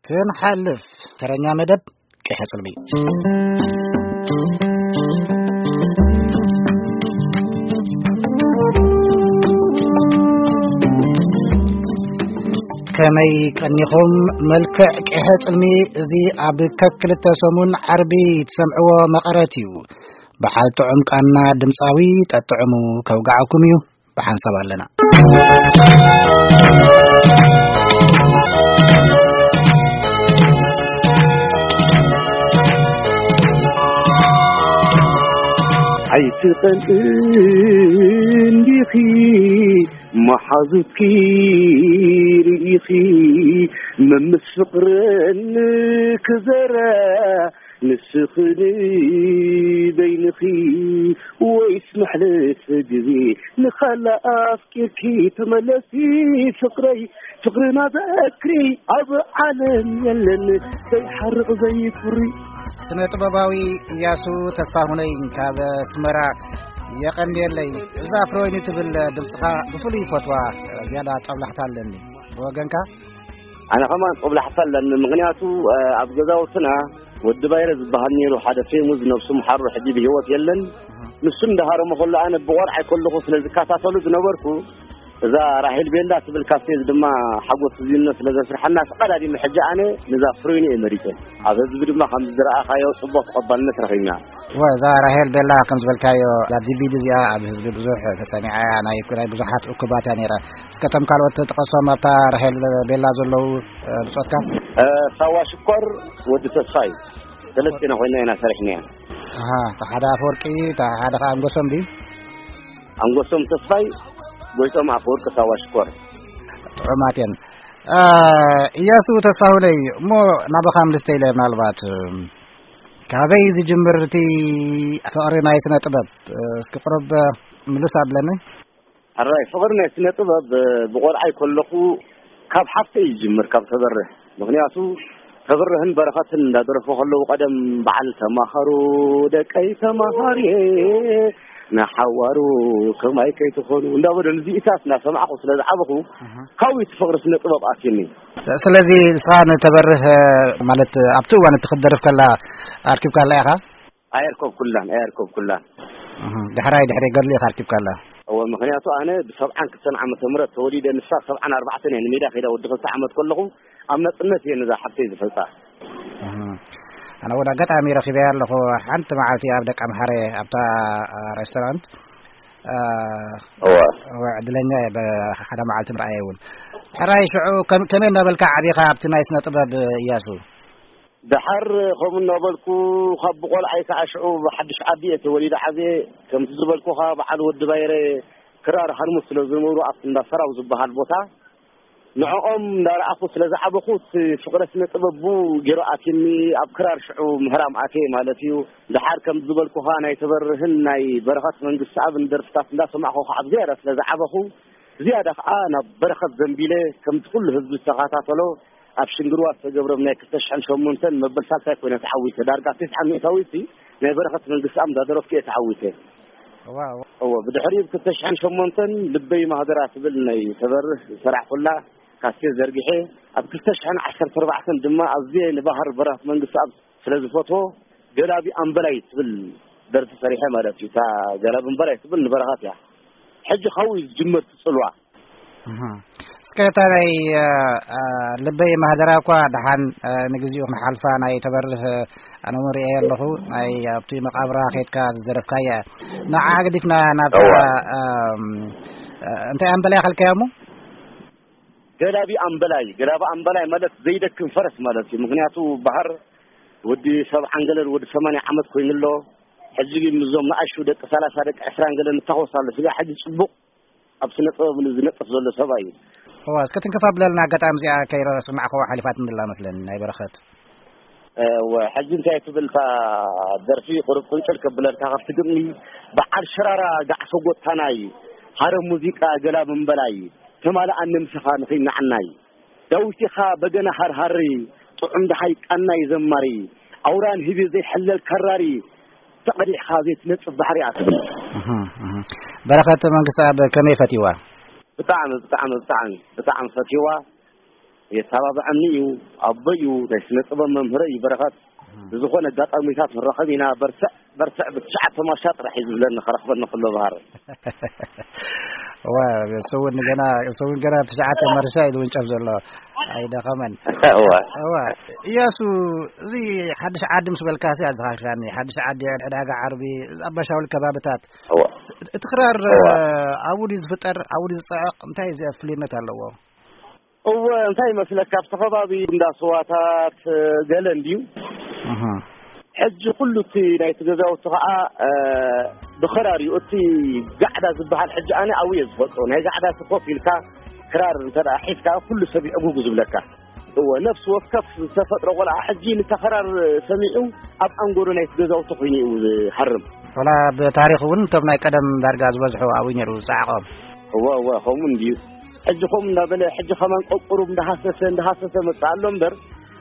ክንሓልፍ ተረኛ መደብ ቅሐ ጽልሚ። ከመይ ቀኒኹም? መልክዕ ቅሐ ጽልሚ እዚ ኣብ ከክልተ ሰሙን ዓርቢ ትሰምዕዎ መቐረት እዩ። ብሓል ጥዑም ቃና ድምፃዊ ጠጥዕሙ ከውግዓኩም እዩ። ብሓንሳብ ኣለና። ኣይትቐንእ እንዲኺ መሓዙትኪ ርኢኺ፣ መምስ ፍቕርን ክዘራ ንስኺ ንበይንኺ፣ ወይስ መሕለፊ ግዜ ንኻልእ ኣፍቂርኪ? ተመለሲ ፍቕረይ፣ ፍቕርና ዘክሪ፣ ኣብ ዓለም የለን ዘይሓርቕ ዘይኩሪ። ስነ ጥበባዊ እያሱ ተስፋሁነይ ካብ ኣስመራ የቐንየለይ። እዛ ኣፍሮይኒ ትብል ድምፅኻ ብፍሉይ ይፈትዋ፣ ዝያዳ ጠብላሕታ ኣለኒ። ብወገንካ? ኣነ ከማን ጦብላሕታ ኣለኒ። ምኽንያቱ፣ እ፣ ኣብ ገዛውትና ወዲ ባይረ ዝበሃል ነይሩ፣ ሓደ ፌሙዝ ነብሱ ምሓሩ ሕጂ ብህይወት የለን። ንሱ እንዳሃረሞ ከሎ ኣነ ብቆልዓይ ከለኹ ስለ ዝከታተሉ ዝነበርኩ፣ እዛ ራሄል ቤላ ትብል ካሴት ድማ ሓጎስ ዝዩነ ስለ ዘስርሐና ተቐዳዲመ ሕጂ ኣነ ነዛ ፍሬኑ እየ መሪጸ። ኣብ ህዝቢ ድማ ከም ዝረኣኻዮ ጽቡቕ ተቐባልነት ረኺብና። እወ፣ እዛ ራሄል ቤላ ከም ዝበልካዮ፣ እዛ ዲ ቪ ዲ እዚኣ ኣብ ህዝቢ ብዙሕ ተሰሚዓ እያ፣ ናይ፣ ናይ ብዙሓት እኩባት እያ ነይራ። እስከ እቶም ካልኦት ጥቀሶም ኣብታ ራሄል ቤላ ዘለዉ፣ እ፣ ብጾትካ? እ፣ ሳዋ ሽኮር፣ ወዲ ተስፋይ፣ ሰለስቴና ኮይና ኢና ሰሪሕናያ። ኣሃ፣ እታ ሓደ ኣፈወርቂ፣ እታ ሓደ ኸዓ ኣንጎሶም ድዩ? ኣንጎሶም ተስፋይ፣ ጎይቶም ኣፈወርቂ፣ ሳዋ ሽኮር። ጥዑማት እየን። እ፣ እያሱ ተስፋሁነይ፣ እሞ ናባኻ ምልስተ ኢለ ምናልባት፣ እ፣ ካበይ ዝጅምር እቲ ፍቕሪ ናይ ስነ ጥበብ? እስኪ ቁሩብ ምልስ ኣብለኒ። ሕራይ፣ ፍቕሪ ናይ ስነ ጥበብ ብቆልዓይ ከለኹ ካብ ሓፍተይ ይጅምር፣ ካብ ተበርህ። ምኽንያቱ ተበርህን በረኸትን እንዳደረፉ ከለዉ ቀደም በዓል "ተማኸሩ ደቀይ ተማሃርየ ንሓዋሩ ከማይ ከይትኾኑ" እንዳበሉ ንዚኢታት እናሰማዕኹ ስለ ዝዓበኹ፣ እህ። ካብኡ እቲ ፍቕሪ ስነ ጥበብ ኣትዩኒ። ስለዚ ንስኻ ንተበርህ ማለት ኣብቲ እዋን እቲ ክትደርፍ ከላ ኣርኪብካላ ኢኻ? ኣየርከብኩላን፣ ኣየርከብኩላን። እህ፣ ዳሕራይ ድሕሪ ገድሊ ኢኻ ኣርኪብካላ? እወ፣ ምኽንያቱ ኣነ ብሰብዓን ክልተን ዓመተ ምህረት ተወሊደ፣ ንሳ ሰብዓን ኣርባዕተን እየ ንሜዳ ከይዳ ወዲ ክልተ ዓመት ከለኹ ኣብ ናጽነት እየ ነዛ ሓብተይ ዝፈልጣ። እህ፣ ኣነ እውን ኣጋጣሚ ረኺበያ ኣለኹ። ሓንቲ መዓልቲ ኣብ ደቀምሓረ ኣብታ፣ አ፣ ሬስቶራንት፣ አ፣ እወ። እወ፣ ዕድለኛ እየ፣ ብሓደ መዓልቲ ምርኣየ እውን። ሕራይ ሽዑ ከም-፣ ከመይ እናበልካ ዓቢኻ ኣብቲ ናይ ስነ ጥበብ እያሱ? ደሓር ከምኡ እናበልኩ፣ ካብ ብቆልዓይ ከዓ ሽዑ ብሓድሽ ዓዲ እየ ተወሊደ ዓብየ። ከምቲ ዝበልኩኻ በዓል ወዲ ባይረ ክራር ሃርሙስ ስለ ዝነበሩ ኣብቲ እንዳ ሰራው ዝበሃል ቦታ፣ ንዕኦም እንዳረኣኹ ስለ ዝዓበኹ፣ እቲ ፍቕረ ስነ ጥበብ ብኡ ገይሩ ኣትዩኒ። ኣብ ክራር ሽዑ ምህራም ኣትየ ማለት እዩ። ደሓር ከም ዝበልኩኻ ናይ ተበርህን ናይ በረኸት መንግስትኣብን ደርፍታት እንዳሰማዕኹ ከዓ ብዝያዳ ስለ ዝዓበኹ፣ ዝያዳ ከዓ ናብ በረኸት ዘንቢለ፣ ከምቲ ኩሉ ህዝቢ ዝተኸታተሎ፣ ኣብ ሽንግርዋ ዝተገብረ ናይ ክልተ ሽሕን ሸሞንተን መበል ሳልሳይ ኮይነ ተዓዊተ። ዳርጋ ተስዓ ሚእታዊት ናይ በረኸት መንግስትኣብ እንዳደረፍኩ እየ ተዓዊተ። ዋው። እወ፣ ብድሕሪኡ ብ ክልተ ሽሕን ሸሞንተን ልበይ ማህደራ ትብል ናይ ተበርህ ዝሰራሕኩላ ካሴት ዘርጊሐ፣ ኣብ ክልተ ሽሕን ዓሰርተ ኣርባዕተን ድማ ኣዝየ ንባህር በረኸት መንግስትኣብ ስለ ዝፈትዎ፣ ገላቢ ኣምበላይ ትብል ደርፊ ሰሪሐ ማለት እዩ። እታ ገላቢ እምበላይ ትብል ንበረኸት እያ። ሕጂ ካብኡ እዩ ዝጅምር እቲ ጽልዋ። እህ። እስከ እታ ናይ፣ እ፣ እ፣ ልበይ ማህደራ እኳ ደሓን፣ እ፣ ንግዚኡ ክንሓልፋ ናይ ተበርህ፣ እ፣ ኣነ እውን ርእየ ኣለኹ። ናይ ኣብቲ መቃብራ ኸይድካ ዝደረፍካያ። ንዓ ገዲፍና ናብታ፣ እዋ። እም፣ እ፣ እንታይ ኣምበላይ ከልካያ እሞ? ገላቢ ኣምበላይ፣ ገላቢ ኣምበላይ ማለት ዘይደክም ፈረስ ማለት እዩ። ምኽንያቱ ባህር ወዲ ሰብዓን ገለን ወዲ ሰማንያ ዓመት ኮይኑ ኣሎ። ሕጂ ግን ምስዞም ንኣሽቱ ደቂ ሰላሳ ደቂ ዕስራን ገለን ይታኾስ ኣሎ። ስጋ ሕጂ ጽቡቕ ኣብ ስነ ጥበብ ዝነጥፍ ዘሎ ሰብኣይ እዩ። እዋ፣ እስከ ትንክፍ ኣብለልና፣ ኣጋጣሚ እዚኣ ከይረስማዕክዋ ሓሊፋትኒ ዘላ መስለኒ፣ ናይ በረኸት። እወ፣ ሕጂ እንታይ ትብል እታ ደርፊ? ቁሩብ ቁንጭል ከብለልካ ካብቲ ግጥሚ፣ በዓል ሽራራ ጋዕሶ ጎታናይ፣ ሃረም ሙዚቃ ገላ ምንበላይ፣ ተማልኣኒ ምሳኻ ንኺናዕናይ። ዳዊት ኢኻ በገና ሃርሃሪ፣ ጥዑም ደሃይ ቃናይ ዘማሪ፣ ኣውራን ህቢ ዘይሕለል ከራሪ፣ ተቐዲሕካ ዘይትነጽፍ ባሕሪ እያ ትብል። እህ፣ እህ። በረኸት መንግስትኣብ ከመይ ፈትይዋ? ብጣዕሚ፣ ብጣዕሚ፣ ብጣዕሚ፣ ብጣዕሚ ፈትይዋ። የተባብዐኒ እዩ። ኣቦይ እዩ፣ ናይ ስነ ጥበብ መምህረይ እዩ በረኸት። ብዝኾነ ኣጋጣሚታት ንራኸብ ኢና። በርትዕ በርትዕ፣ ብትሽዓተ ማሻ ጥራሕ እዩ ዝብለኒ፣ ከረኽበኒ ከሎ ባህር። እዋ፣ እሱ እውን ገና፣ እሱ እውን ገና ትሽዓተ መርሻ እዩ ዝውንጨፍ ዘሎ። ኣይደኸመን። እዋ። እዋ። እያሱ፣ እዚ ሓድሽ ዓዲ ምስ በልካ ሲ ኣዘኻኺኻኒ። ሓድሽ ዓዲ፣ ዕዳጋ ዓርቢ፣ ኣባሻውል ከባብታት። እዋ። እቲ ክራር፣ እዋ። ኣብኡ ድዩ ዝፍጠር? ኣብኡ ድዩ ዝጸዕቕ? እንታይ እዚ ፍልይነት ኣለዎ? እወ፣ እንታይ ይመስለካ፣ ኣብቲ ከባቢ እንዳ ስዋታት፣ ገለ እንድዩ። እህ። ሕጂ ኩሉ እቲ ናይቲ ገዛውቲ ኸዓ፣ እ፣ ብኸራር እዩ። እቲ ጋዕዳ ዝበሃል ሕጂ ኣነ ኣብኡ እየ ዝፈልጦ። ናይ ጋዕዳ እቲ ኮፍ ኢልካ ክራር እንተ ደኣ ሒዝካ ኩሉ ሰብ ይዕጉጉ ዝብለካ። እወ፣ ነፍሲ ወከፍ ዝተፈጥሮ ቆልዓ ሕጂ ነታ ክራር ሰሚዑ ኣብ ኣንጎሎ ናይቲ ገዛውቲ ኮይኑ እዩ ዝሃርም። ወላ ብታሪኽ እውን እቶም ናይ ቀደም ዳርጋ ዝበዝሑ ኣብኡ ነይሩ ዝጸዓቖም። እወ፣ እወ፣ ከምኡ እንድዩ። ሕጂ ከምኡ እንዳበለ፣ ሕጂ ከማን ቆቁሩብ እንዳሃሰሰ፣ እንዳሃሰሰ መጽእ ኣሎ እምበር፣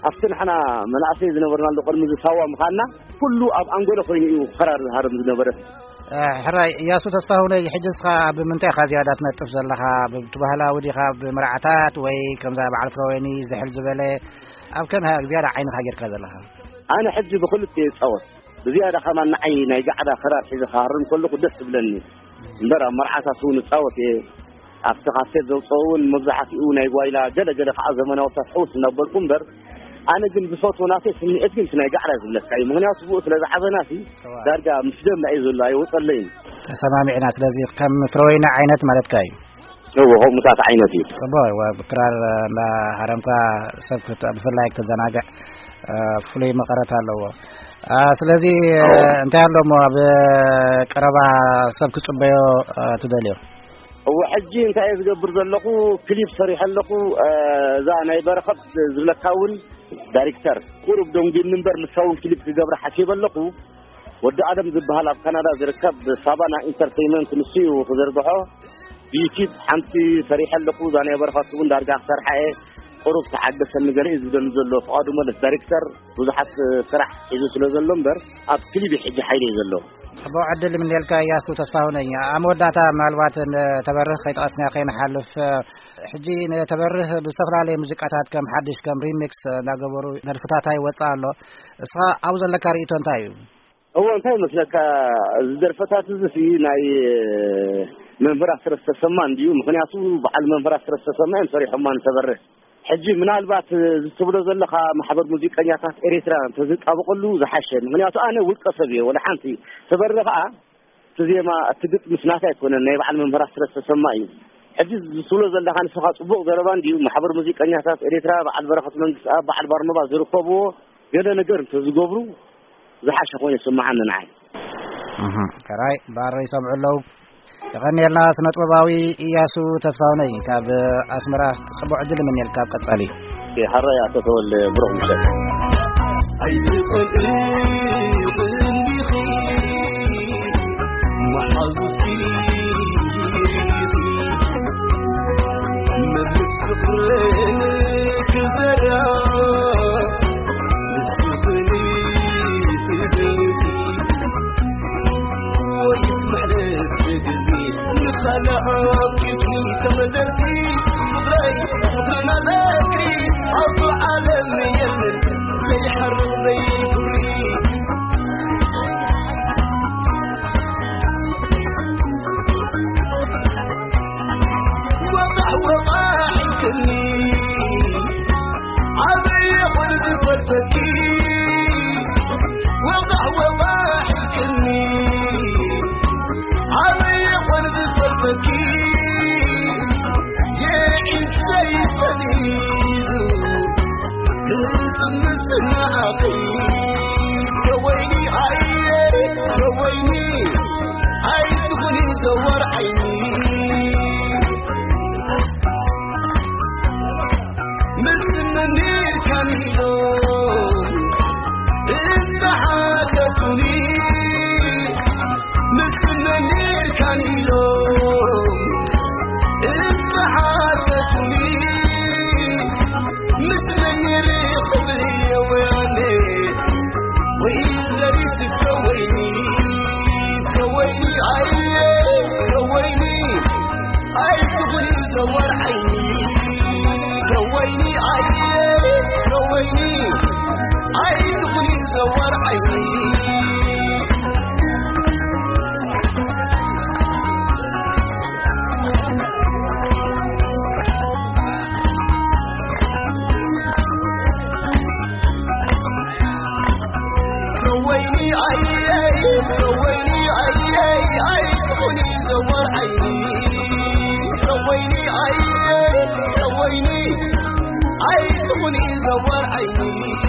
ኣብቲ ንሕና መናእሰይ ዝነበርናሉ ቅድሚ እዚ ሳዋ ምዃንና፣ ኩሉ ኣብ ኣንጎሎ ኮይኑ እዩ ክራር ዝሃርም ዝነበረ። እ፣ ሕራይ፣ እያሱ ተስፋሁነይ፣ ሕጂ እስኻ ኣብ ምንታይ ኢኻ ዝያዳ ትነጥፍ ዘለኻ? ብቲ ባህላዊ ዲኻ፣ ብመርዓታት ወይ ከምዛ በዓል ፍረወይኒ ዝሕል ዝበለ፣ ኣብ ከመይ ዝያዳ ዓይንኻ ጌርካ ዘለኻ? ኣነ ሕጂ ብክልተ እየ ዝጻወት። ብዝያዳ ከማን ንዓይ ናይ ጋዕዳ ክራር ሒዘ ክሃርም ከለኹ ደስ ትብለኒ። እምበር ኣብ መርዓታት እውን እጻወት እየ። ኣብቲ ካሴት ዘውፅኦ እውን መብዛሕትኡ ናይ ጓይላ፣ ገለ ገለ ከዓ ዘመናውታት ሕውስ እናበልኩ እምበር፣ ኣነ ግን ዝፈትዎ ናተይ ስምዒት ግን እቲ ናይ ጋዕዳ ዝብለካ እዩ። ምኽንያቱ ብኡ ስለ ዝዓበናሲ እዋ። ዳርጋ ምስ ደምና እዩ ዘሎ፣ ኣይወፀለይን። ተሰማሚዕና። ስለዚ ከም ፍረወይኒ ዓይነት ማለትካ እዩ? እዎ፣ ከምኡታት ዓይነት እዩ። ጽቡቕ፣ እወ፣ ብክራር፣ እ፣ እንዳ ሃረምካ ሰብ ክት-፣ ብፍላይ ክትዘናግዕ፣ እ፣ ፍሉይ መቐረት ኣለዎ። እ፣ ስለዚ፣ እ፣ እዎ። እንታይ ኣሎ እሞ ኣብ ቀረባ ሰብ ክጽበዮ፣ እ፣ ትደልዮ? እዎ፣ ሕጂ እንታይ እየ ዝገብር ዘለኹ? ክሊፕ ሰሪሐ ኣለኹ። እ፣ እዛ ናይ በረኸት ዝብለካ እውን ዳይሬክተር ቁሩብ ደንጒኒ እምበር፣ ንሳ እውን ክሊፕ ክገብራ ሓሲበ ኣለኹ። ወዲ ኣደም ዝበሃል ኣብ ካናዳ ዝርከብ ሳባና ኢንተርቴይንመንት ንሱ እዩ ክዘርግሖ። ብዩቲዩብ ሓንቲ ሰሪሐ ኣለኹ። እዛ ናይ በረኸት እውን ዳርጋ ክሰርሓ እየ። ቁሩብ ተሓገሰኒ ገለ እዩ ዝብለኒ ዘሎ። ፍቓዱ መለስ ዳይሬክተር ብዙሓት ስራሕ ሒዙ ስለ ዘሎ እምበር፣ ኣብ ክሊብ ሕጂ ሓይለ እዩ ዘሎ። ጽቡቕ ዕድል ይምነየልካ እያሱ ተስፋሁነኝ። ኣብ መወዳእታ ምናልባት ንተበርህ ከይጠቐስና ከይንሓልፍ፣ ሕጂ ንተበርህ ብዝተፈላለየ ሙዚቃታት ከም ሓድሽ ከም ሪሚክስ እንዳገበሩ ደርፍታት ይወጽእ ኣሎ። እስኻ ኣብኡ ዘለካ ርእይቶ እንታይ እዩ? እዎ፣ እንታይ ይመስለካ፣ እዚ ደርፈታት እዚ ሲ ናይ መምህር ኣስረስ ተሰማ እንድዩ። ምኽንያቱ በዓል መምህር ኣስረስ ተሰማ እዮም ሰሪሖማ ንተበርህ። ሕጂ ምናልባት እዚ ትብሎ ዘለኻ ማሕበር ሙዚቀኛታት ኤርትራ እንተዝጣበቐሉ ዝሓሸ። ምኽንያቱ ኣነ ውልቀ ሰብ እየ፣ ወላ ሓንቲ። ተበርህ ኸኣ እቲ ዜማ፣ እቲ ግጥምስ ናታ ኣይኮነን፣ ናይ በዓል መምህር ኣስረስ ተሰማ እዩ። ሕጂ ዝትብሎ ዘለኻ ንስኻ ጽቡቕ ዘረባ እንድዩ። ማሕበር ሙዚቀኛታት ኤርትራ፣ በዓል በረኸት መንግስትኣብ፣ በዓል ባርኖባ ዝርከብዎ ገለ ነገር እንተዝገብሩ ዝሓሸ ኮይኑ ይስምዓኒ ንዓይ። እህ፣ ሕራይ፣ ባሮ ይሰምዑ ኣለዉ። የቐንየልና ስነ ጥበባዊ ኢያሱ ተስፋሁነይ ካብ ኣስመራ። ጽቡቕ ዕድል እምነየልካ ኣብ ቀጻሊ። ሕራይ ኣቶ ተወልደ፣ ብሩኽ ምሸት። ኣይትጸልኢ እንዲኺ መሓዙትኪ፣ መብልስ ፍቕርን ክዘራ፣ ንስኽኒ ፍደቲ፣ ወይስ መሕለፍ ግዜ ንኻልእ ኣፍቂርኪ ተመዘርኪ፣ ፍቕረይ ፍቕርና ዘክሪ፣ ኣብቱ ዓለም የለን ዘይሓርቕ ዘይኩሪ። ወቓሕ ወቓሕ ኢልክኒ፣ ዓበየ ኾን ዝፈልጠኪ። ወቓሕ ወቓሕ ኢልክኒ፣ ዓበየ ኾን ዝፈልጠኪ። የዒንተይ ፈዚዙ ክጽምት ንዓኺ። ከወይኒ ኣየ፣ ከወይኒ ኣይትኹኒ ዘወር ዓይኒ። ምስ መኒር ካኒሎ እንተሓተቱኒ፣ ምስ መኒር ካኒሎ እንተሓተቱኒ፣ ምስ መኒር ክብል የወያኔ ወይ ዘሪት ከወይኒ፣ ከወይኒ ኣየ፣ ከወይኒ ወይኒ ኣየይ፣ ወይኒ ኣየይ፣ ኣይትኹኒ ዘወር ዓይኒ። ወይኒ ኣየይ፣ ወይኒ ኣይትኹኒ ዘወር ዓይኒ።